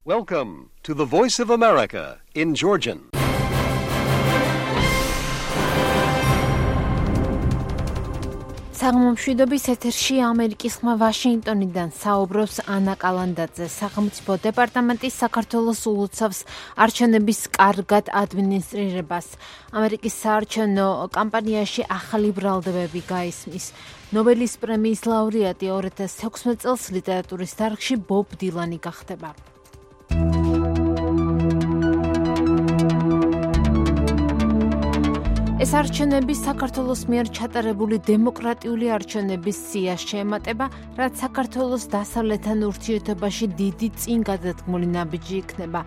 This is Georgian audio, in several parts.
Welcome to the Voice of America in Georgian. საღამომშვიდობის ეთერში ამერიკის ხმა ვაშინგტონიდან საუბრობს ანა კალანდაძე. სახელმწიფო დეპარტამენტის საქართველოს ულოცავს არჩევნების კარგად ადმინისტრირებას. ამერიკის საარჩევნო კამპანიაში ახალი ბრალდებები გაისმის. ნობელის პრემიის ლაურეატი 2016 წელს ლიტერატურის დარგში ბობ დილანი გახდება. ეს არჩევნები საქართველოს მიერ ჩატარებული დემოკრატიული არჩევნების სიას შეემატება, რაც საქართველოს დასავლეთთან ურთიერთობაში დიდი წინგადადგმული ნაბიჯი იქნება.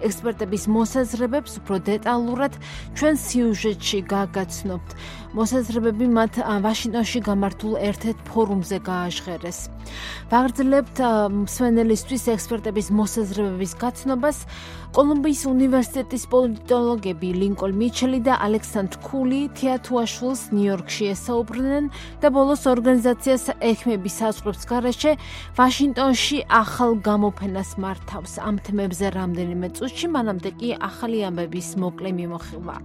ექსპერტების მოსაზრებებს უფრო დეტალურად ჩვენ სიუჟეტში გაგაცნობთ. მოსაზრებები მათ ვაშინგტონში გამართულ ერთ-ერთ ფორუმზე გააჟღერეს. ვაგრძელებთ მსმენელისთვის ექსპერტების მოსაზრებების გაცნობას. კოლუმბიის უნივერსიტეტის პოლიტოლოგები ლინკოლნ მიჩელი და ალექსანდრ ქული თეათუაშვილს ნიუ-იორკში ესაუბრნენ და ბოლოს ორგანიზაციას ექიმების საზღვრებს გარეშე ვაშინგტონში ახალ გამოფენას მართავს. ამ თემებზე რამდენიმე წუთში, მანამდე კი ახალი ამბების მოკლე მიმოხილვა.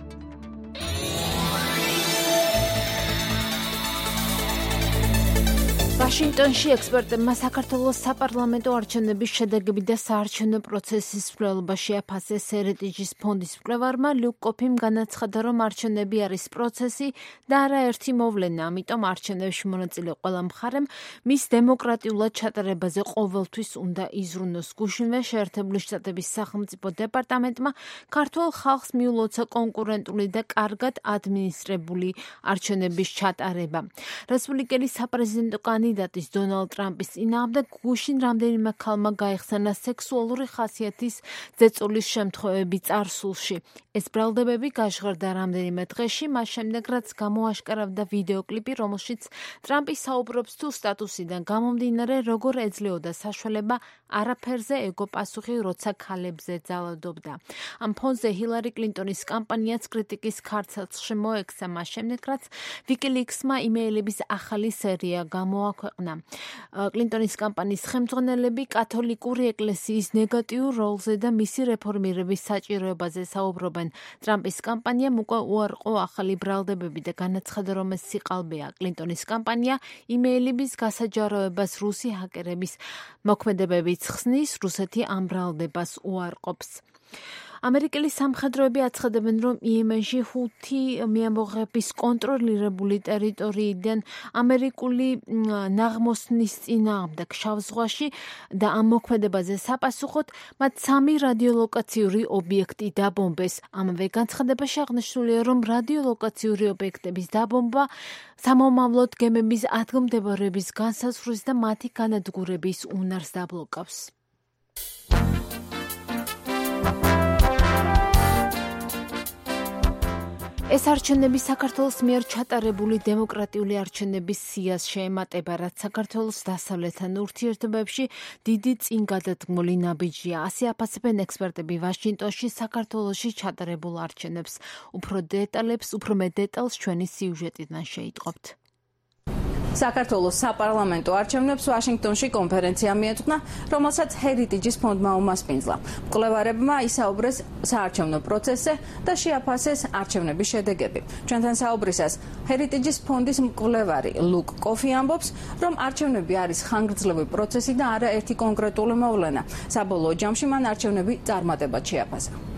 ვაშინგტონში ექსპერტებმა საქართველოს საპარლამენტო არჩევნების შედეგები და საარჩევნო პროცესის მკვლელობა შეაფასეს. ჰერიტეჯის ფონდის მკვლევარმა ლუკ კოფიმ განაცხადა, რომ არჩევნები არის პროცესი და არაერთი მოვლენა, ამიტომ არჩევნებში მონაწილე ყველა მხარემ მის დემოკრატიულად ჩატარებაზე ყოველთვის უნდა იზრუნოს. გუშინვე შეერთებული შტატების სახელმწიფო დეპარტამენტმა ქართულ ხალხს მიულოცა კონკურენტული და კარგად ადმინისტრირებული არჩევნების ჩატარება. რესპუბლიკელი საპრეზიდენტო კანდიდატის დონალდ ტრამპის წინააღმდეგ გუშინ რამდენიმე ქალმა გაიხსენა სექსუალური ხასიათის ზეწოლის შემთხვევები წარსულში. ეს ბრალდებები გაჟღერდა რამდენიმე დღეში, მას შემდეგ რაც გამოაშკარავდა ვიდეოკლიპი, რომელშიც ტრამპი საუბრობს თუ სტატუსიდან გამომდინარე, როგორ ეძლეოდა საშუალება არაფერზე ეგო პასუხი, როცა ქალებზე ძალადობდა. ამ ფონზე ჰილარი კლინტონის კამპანიაც კრიტიკის ქარცელში მოექცა, მას შემდეგ რაც ვიკილიქსმა იმეილების ახალი სერია გამოაქვეყნა. კლინტონის კამპანიის ხელმძღვანელები კათოლიკური ეკლესიის ნეგატიურ როლზე და მისი რეფორმირების საჭიროებაზე საუბრობენ. ტრამპის კამპანიამ უკვე უარყო ახალი ბრალდებები და განაცხადა, რომ ეს სიყალბეა. კლინტონის კამპანია იმეილების გასაჯაროებას რუსი ჰაკერების მოქმედებებით ხსნის, რუსეთი ამ ბრალდებას უარყოფს. ამერიკელი სამხედროები აცხადებენ, რომ იემენში ჰუთი მიამბოხების კონტროლირებული ტერიტორიიდან ამერიკული ნაღმოსნის წინააღმდეგ შავ ზღვაში და ამ მოქმედებაზე საპასუხოდ მათ 3 რადიოლოკაციური ობიექტი დაბომბეს. ამავე განცხადებაში აღნიშნულია, რომ რადიოლოკაციური ობიექტების დაბომბა სამომავლოდ გემების ადგილმდებარეობის განსაზღვრის და მათი განადგურების უნარს დაბლოკავს. ეს არჩევნები საქართველოს მიერ ჩატარებული დემოკრატიული არჩევნების სიას შეემატება, რაც საქართველოს დასავლეთთან ურთიერთობებში დიდი წინგადადგმული ნაბიჯია. ასე აფასებენ ექსპერტები ვაშინგტონში საქართველოში ჩატარებულ არჩევნებს. უფრო მეტ დეტალს ჩვენი სიუჟეტიდან შეიტყობთ. საქართველოს საპარლამენტო არჩევნებს ვაშინგტონში კონფერენცია მიეწყნა, რომელსაც ჰერიტეჯის ფონდმა უმასპინძლა. მკვლევარებმა ისაუბრეს საარჩევნო პროცესზე და შეაფასეს არჩევნების შედეგები. ჩვენთან საუბრისას ჰერიტეჯის ფონდის მკვლევარი ლუკ კოფი ამბობს, რომ არჩევნები არის ხანგრძლივი პროცესი და არა ერთი კონკრეტული მოვლენა. საბოლოო ჯამში მან არჩევნები წარმატებად შეაფასა.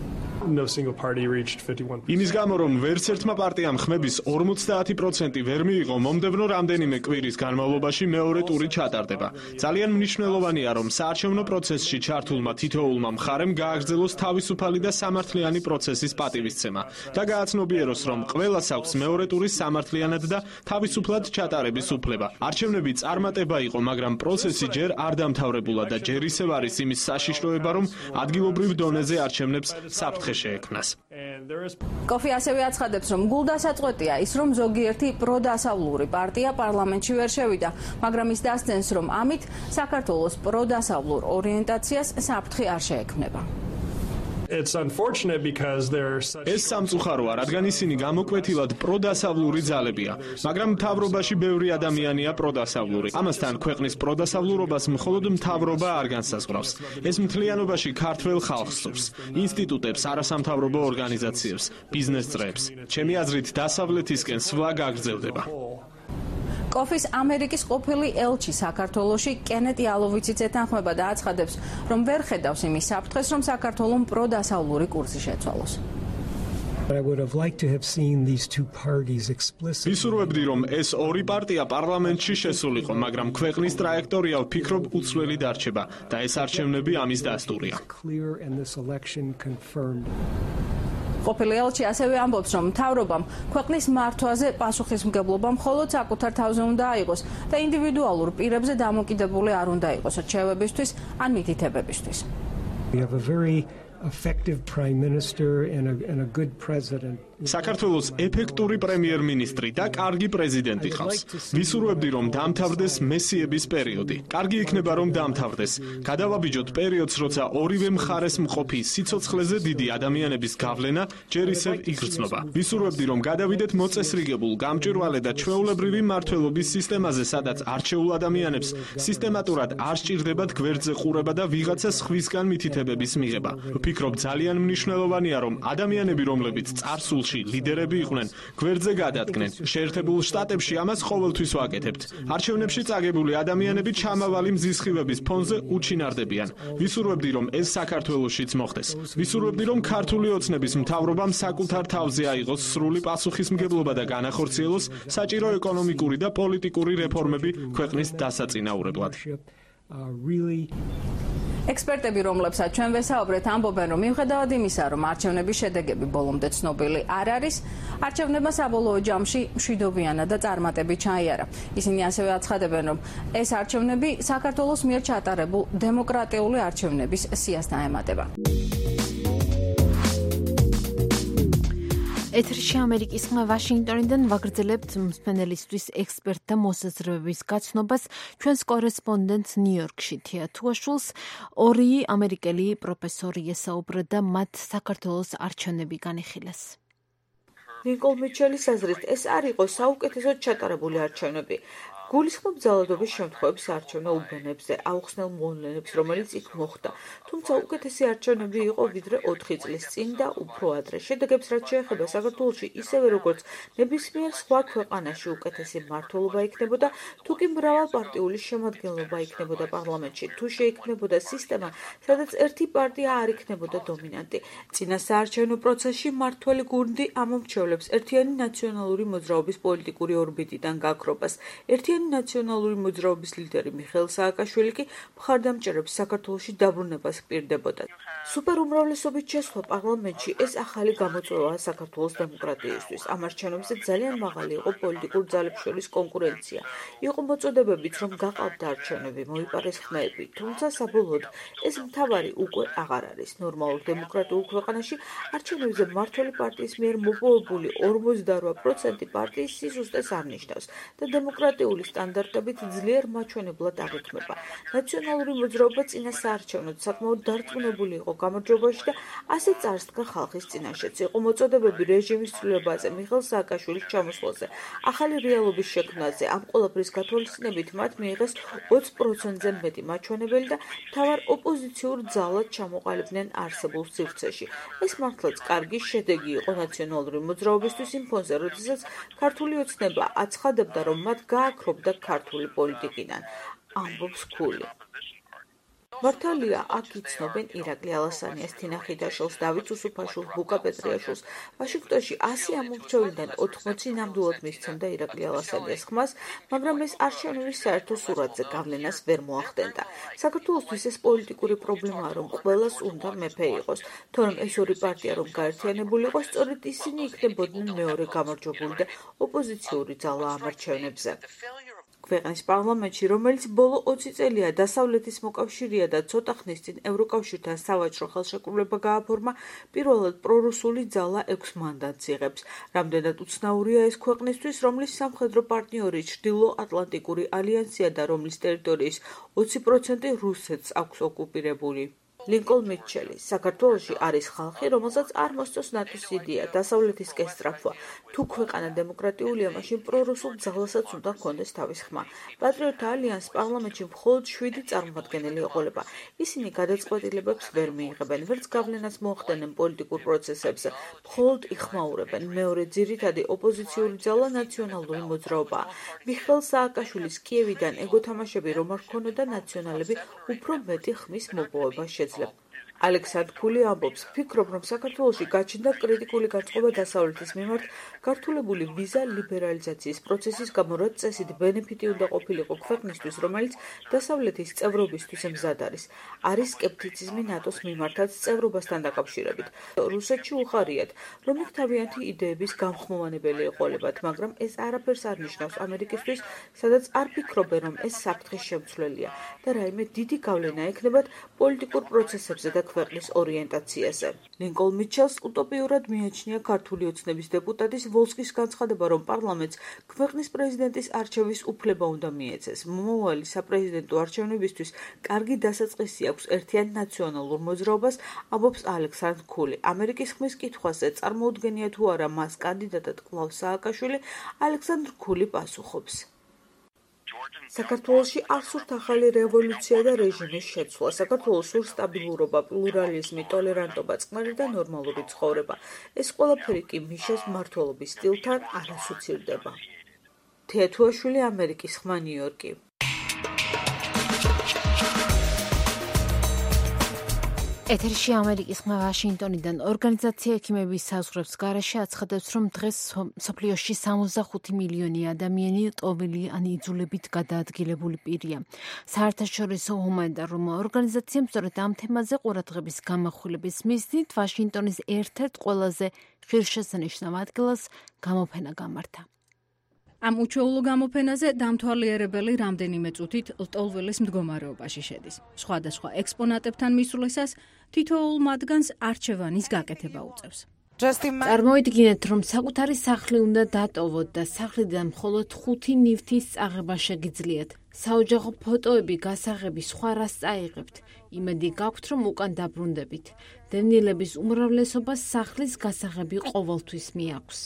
იმის გამო, რომ ვერც ერთმა პარტიამ ხმების 50% ვერ მიიღო, მომდევნო რამდენიმე კვირის განმავლობაში მეორე ტური ჩატარდება. ძალიან მნიშვნელოვანია, რომ საარჩევნო პროცესში ჩართულმა თითოეულმა მხარემ გააგრძელოს თავისუფალი და სამართლიანი პროცესის პატივისცემა და გააცნობიეროს, რომ ყველას აქვს მეორე ტურის სამართლიანად და თავისუფლად ჩატარების უფლება. არჩევნები წარმატება იყო, მაგრამ პროცესი ჯერ არ დამთავრებულა და ჯერ ისევ არის იმის საშიშროება, რომ ადგილობრივ დონეზე არჩევნებს საფრთხე შეექმნას. კოფი ასევე აცხადებს, რომ გულდასაწყვეტია ის, რომ ზოგიერთი პროდასავლური პარტია პარლამენტში ვერ შევიდა, მაგრამ ის დასცენს, რომ ამით საქართველოს პროდასავლურ ორიენტაციას საფრთხე არ შეექმნება. ეს სამწუხაროა, რადგან ისინი გამოკვეთილად პროდასავლური ძალებია, მაგრამ მთავრობაში ბევრი ადამიანია პროდასავლური. ამასთან ქვეყნის პროდასავლურობას მხოლოდ მთავრობა არ განსაზღვრავს. ეს მთლიანობაში ქართველ ხალხს სურს, ინსტიტუტებს, არასამთავრობო ორგანიზაციებს, ბიზნეს წრეებს. ჩემი აზრით, დასავლეთისკენ სვლა გაგრძელდება. კოფის ამერიკის ყოფილი ელჩი საქართველოში კენეტი ალოვიციც ეთანხმება და აცხადებს, რომ ვერ ხედავს იმის საფრთხეს, რომ საქართველოს პროდასავლური კურსი შეცვალოს. ვისურვებდი, რომ ეს ორი პარტია პარლამენტში შესულიყო, მაგრამ ქვეყნის ტრაექტორია ვფიქრობ უცვლელი დარჩება და ეს არჩევნები ამის დასტურია. ყოფილი ელჩი ასევე ამბობს, რომ მთავრობამ ქვეყნის მართვაზე პასუხისმგებლობა მხოლოდ საკუთარ თავზე უნდა აიღოს და ინდივიდუალურ პირებზე დამოკიდებული არ უნდა იყოს რჩევებისთვის ან მითითებებისთვის. საქართველოს ეფექტური პრემიერ-მინისტრი და კარგი პრეზიდენტი ყავს. ვისურვებდი, რომ დამთავრდეს მესიების პერიოდი. კარგი იქნება, რომ დამთავრდეს. გადავაბიჯოთ პერიოდს, როცა ორივე მხარეს მყოფი სიცოცხლეზე დიდი ადამიანების გავლენა ჯერ ისევ იგრძნობა. ვისურვებდი, რომ გადავიდეთ მოწესრიგებულ, გამჭვირვალე და ჩვეულებრივი მმართველობის სისტემაზე, სადაც არჩეულ ადამიანებს სისტემატურად არ სჭირდებათ გვერდზე ყურება და ვიღაცა სხვისგან მითითებების მიღება. ვფიქრობ, ძალიან მნიშვნელოვანია, რომ ადამიანები, რომლებიც წარსულში ლიდერები იყვნენ, გვერდზე გადადგნენ. შეერთებულ შტატებში ამას ყოველთვის ვაკეთებთ. არჩევნებში წაგებული ადამიანები ჩამავალი მზისხივების ფონზე უჩინარდებიან. ვისურვებდი, რომ ეს საქართველოშიც მოხდეს. ვისურვებდი, რომ ქართული ოცნების მთავრობამ საკუთარ თავზე აიღოს სრული პასუხისმგებლობა და განახორციელოს საჭირო ეკონომიკური და პოლიტიკური რეფორმები ქვეყნის დასაწინაურებლად. ექსპერტები, რომლებსაც ჩვენ ვესაუბრეთ, ამბობენ, რომ მიუხედავად იმისა, რომ არჩევნების შედეგები ბოლომდე ცნობილი არ არის, არჩევნებმა საბოლოო ჯამში მშვიდობიანად და წარმატებით ჩაიარა. ისინი ასევე აცხადებენ, რომ ეს არჩევნები საქართველოს მიერ ჩატარებულ დემოკრატიული არჩევნების სიას დაემატება. ეთერში ამერიკის ხმა ვაშინგტონიდან ვაგრძელებთ მსმენელისთვის ექსპერტთა მოსაზრებების გაცნობას ჩვენს კორესპონდენტს ნიუ-იორკში თია თუაშულს ორი ამერიკელი პროფესორი ესაუბრა და მათ საქართველოს არჩევნები განიხილეს. ნიკოლ მიჩელის აზრით, ეს არ იყო საუკეთესოდ ჩატარებული არჩევნები. გულისხმობ ძალადობის შემთხვევებს არჩევნულ ბენებზე, აუხსნელ მოვლენებს, რომელიც იქ მოხდა. თუმცა უკეთესი არჩევნები იყო ვიდრე 4 წლის წინ და უფრო ადრე. შედეგებს რაც შეეხება საქართველოში, ისევე როგორც ნებისმიერ სხვა ქვეყანაში უკეთესი მმართველობა იქნებოდა, თუ კი მრავალპარტიული შემადგენლობა იქნებოდა პარლამენტში, თუ შეიქმნებოდა სისტემა, სადაც ერთი პარტია არ იქნებოდა დომინანტი. წინა საარჩევნო პროცესში მმართველი გუნდი ამომრჩევლებს ერთიანი ნაციონალური მოძრაობის პოლიტიკური ორბიტიდან გაქრობას. ნაციონალური მოძრაობის ლიდერი მიხეილ სააკაშვილი კი მხარდამჭერებს საქართველოში დაბრუნებას ჰპირდებოდა. სუპერუმრავლესობით შესვლა პარლამენტში ეს ახალი გამოწვევაა საქართველოს დემოკრატიისთვის. ამ არჩევნებზე ძალიან მაღალი იყო პოლიტიკურ ძალებს შორის კონკურენცია. იყო მოწოდებებიც, რომ გაყავდა არჩევნები, მოიპარეს ხმები, თუმცა საბოლოოდ ეს მთავარი უკვე აღარ არის. ნორმალურ დემოკრატიულ ქვეყანაში არჩევნებზე მმართველი პარტიის მიერ მოპოვებული 48% პარტიის სიზუსტეს არ ნიშნავს და დემოკრატიული სტანდარტებით ძლიერ მაჩვენებლად აღიქმება. ნაციონალური მოძრაობა წინა საარჩევნოდ საკმაოდ დარწმუნებული იყო გამარჯვებაში და ასე წარსდგა ხალხის წინაშეც. იყო მოწოდებები რეჟიმის ცვლილებაზე, მიხეილ სააკაშვილის ჩამოსვლაზე, ახალი რეალობის შექმნაზე. ამ ყველაფრის გათვალისწინებით მათ მიიღეს 20%-ზე მეტი მაჩვენებელი და მთავარ ოპოზიციურ ძალად ჩამოყალიბდნენ არსებულ სივრცეში. ეს მართლაც კარგი შედეგი იყო ნაციონალური მოძრაობისთვის იმ ფონზე, როდესაც ქართული ოცნება აცხადებდა, რომ მათ გააქრობდა ქართული პოლიტიკიდან, ამბობს ქული. მართალია, აქ იცნობენ ირაკლი ალასანიას, თინა ხიდაშვილს, დავით უსუფაშვილს, ლუკა პეტრიაშვილს. ვაშინგტონში 100 ამომრჩევლიდან 80 ნამდვილად მისცემდა ირაკლი ალასანიას ხმას, მაგრამ ეს არჩევნების საერთო სურათზე გავლენას ვერ მოახდენდა. საქართველოსთვის ეს პოლიტიკური პრობლემაა, რომ ყველას უნდა მეფე იყოს, თორემ ეს ორი პარტია რომ გაერთიანებული იყო, სწორედ ისინი იქნებოდნენ მეორე გამარჯვებული და ოპოზიციური ძალა ამ არჩევნებზე. ქვეყნის პარლამენტში, რომელიც ბოლო 20 წელია დასავლეთის მოკავშირეა და ცოტა ხნის წინ ევროკავშირთან სავაჭრო ხელშეკრულება გააფორმა, პირველად პრორუსული ძალა 6 მანდატს იღებს. რამდენად უცნაურია ეს ქვეყნისთვის, რომლის სამხედრო პარტნიორი ჩრდილო-ატლანტიკური ალიანსია და რომლის ტერიტორიის 20% რუსეთს აქვს ოკუპირებული. ლინკოლ მიჩელი, საქართველოში არის ხალხი, რომელსაც არ მოსწონს ნატოს იდეა, დასავლეთისკენ სწრაფვა. თუ ქვეყანა დემოკრატიულია, მაშინ პრორუსულ ძალასაც უნდა ჰქონდეს თავის ხმა. პატრიოტთა ალიანსს პარლამენტში მხოლოდ 7 წარმომადგენელი ეყოლება. ისინი გადაწყვეტილებებს ვერ მიიღებენ, ვერც გავლენას მოახდენენ პოლიტიკურ პროცესებზე, მხოლოდ იხმაურებენ. მეორე ძირითადი ოპოზიციური ძალა ნაციონალური მოძრაობაა. მიხეილ სააკაშვილის კიევიდან ეგო თამაშები რომ არ ქონოდა ნაციონალები უფრო მეტი ხმის მოპოვება შეძლებ. ალექსანდრ ქული ამბობს, ფიქრობ, რომ საქართველოში გაჩნდა კრიტიკული განწყობა დასავლეთის მიმართ გართულებული ვიზა ლიბერალიზაციის პროცესის გამო, რაც წესით ბენეფიტი უნდა ყოფილიყო ქვეყნისთვის, რომელიც დასავლეთის წევრობისთვის მზად არის. არის სკეპტიციზმი ნატოს მიმართაც წევრობასთან დაკავშირებით. რუსეთში უხარიათ, რომ იქ თავიანთი იდეების გამხმოვანებელი ეყოლებათ, მაგრამ ეს არაფერს არ ნიშნავს ამერიკისთვის, სადაც არ ფიქრობენ, რომ ეს საფრთხის შემცვლელია და რაიმე დიდი გავლენა ექნებათ პოლიტიკურ პროცესებზე და ქვეყნის ორიენტაციაზე. ლინკოლ მიჩელს უტოპიურად მიაჩნია ქართული ოცნების დეპუტატის ვოლსკის განცხადება, რომ პარლამენტს ქვეყნის პრეზიდენტის არჩევის უფლება უნდა მიეცეს. მომავალი საპრეზიდენტო არჩევნებისთვის კარგი დასაწყისი აქვს ერთიან ნაციონალურ მოძრაობას, ამბობს ალექსანდრ ქული. ამერიკის ხმის კითხვაზე წარმოუდგენია თუ არა მას კანდიდატად კლავს სააკაშვილი, ალექსანდრ ქული პასუხობს. საქართველოში არ სურთ ახალი რევოლუცია და რეჟიმის შეცვლა. საქართველოს სურს სტაბილურობა, პლურალიზმი, ტოლერანტობა, წყნარი და ნორმალური ცხოვრება. ეს ყველაფერი კი მიშას მმართველობის სტილთან არ ასოცირდება. თეათუაშვილი, ამერიკის ხმა, ნიუ-იორკი. ეთერში ამერიკის ხმა ვაშინგტონიდან ორგანიზაცია ექიმების საზღვრებს გარეშე აცხადებს, რომ დღეს მსოფლიოში 65 მილიონი ადამიანი ტოვილი ან იძულებით გადაადგილებული პირია. საერთაშორისო ჰუმანიტარული ორგანიზაციამ სწორედ ამ თემაზე ყურადღების გამახვილების მიზნით ვაშინგტონის ერთ-ერთ ყველაზე ღირსშესანიშნავ ადგილას გამოფენა გამართა. ამ უჩვეულო გამოფენაზე დამთვალიერებელი რამდენიმე წუთით ლტოლვილის მდგომარეობაში შედის. სხვადასხვა ექსპონატებთან მისვლისას თითოეულ მათგანს არჩევანის გაკეთება უწევს. წარმოიდგინეთ, რომ საკუთარი სახლი უნდა დატოვოთ და სახლიდან მხოლოდ 5 ნივთის წაღება შეგიძლიათ. საოჯახო ფოტოები, გასაღები, სხვა რას წაიღებთ. იმედი გაქვთ, რომ უკან დაბრუნდებით. დევნილების უმრავლესობას სახლის გასაღები ყოველთვის მიაქვს.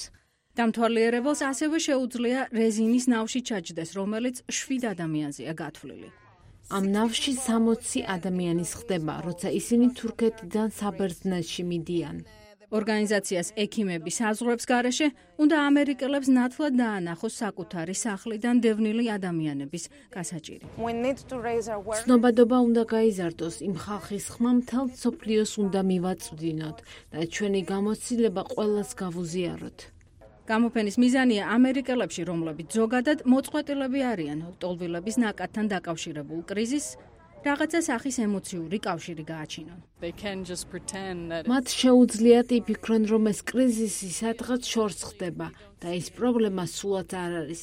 დამთვალიერებელს ასევე შეუძლია რეზინის ნავში ჩაჯდეს, რომელიც 7 ადამიანზეა გათვლილი. ამ ნავში 60 ადამიანის ხდება, როცა ისინი თურქეთიდან საბერძნეთში მიდიან. ორგანიზაციას ექიმები საზღვრებს გარეშე უნდა ამერიკელებს ნათლად დაანახოს საკუთარი სახლიდან დევნილი ადამიანების გასაჭირი. ცნობადობა უნდა გაიზარდოს, იმ ხალხის ხმა მთელ მსოფლიოს უნდა მივაწვდინოთ და ჩვენი გამოცდილება ყველას გავუზიაროთ. გამოფენის მიზანია ამერიკელებში, რომლებიც ზოგადად მოწყვეტილები არიან ლტოლვილების ნაკადთან დაკავშირებულ კრიზისს, რაღაცა სახის ემოციური კავშირი გააჩინონ. მათ შეუძლიათ იფიქრონ, რომ ეს კრიზისი სადღაც შორს ხდება და ეს პრობლემა სულაც არ არის.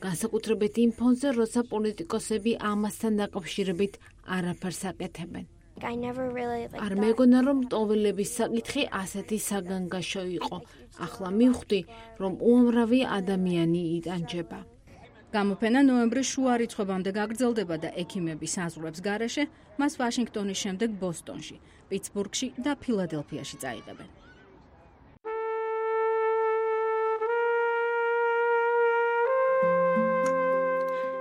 განსაკუთრებით იმ ფონზე, როცა პოლიტიკოსები ამასთან დაკავშირებით არაფერს აკეთებენ. არ მეგონა, რომ ლტოლვილების საკითხი ასეთი საგანგაშო იყო. ახლა მივხვდი, რომ უამრავი ადამიანი იტანჯება. გამოფენა ნოემბრის შუა რიცხვებამდე გაგრძელდება და ექიმების საზღვრებს გარეშე მას ვაშინგტონის შემდეგ ბოსტონში, პიტსბურგში და ფილადელფიაში წაიღებენ.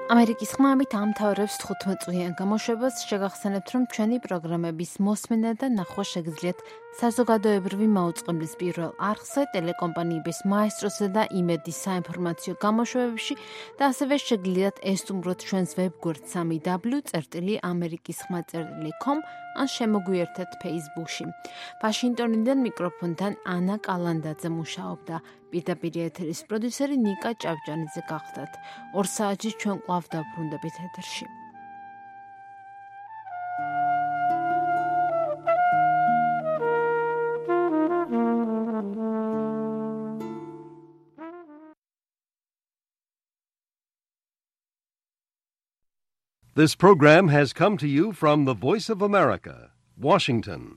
ამერიკის ხმამით ამთავრებს 15 წლიან გამოშვებას. შეგახსენებთ, რომ ჩვენი პროგრამების მოსმენა და ნახვა შეგიძლიათ საზოგადოებრივი მაუწყებლის პირველ არხზე, ტელეკომპანიების მაესტროსა და იმედის საინფორმაციო გამოშვებებში და ასევე შეგიძლიათ ესტუმროთ ჩვენს ვებგვერდს www.amerikisxma.com ან შემოგვიერთეთ Facebook-ში. ვაშინგტონიდან მიკროფონთან ანა კალანდაძე მუშაობდა. პირდაპირ ეთერის პროდიუსერი ნიკა ჭავჭანიძე გახდათ. 2 საათში ჩვენ კვლავ დავბრუნდებით ეთერში. This program has come to you from the Voice of America, Washington.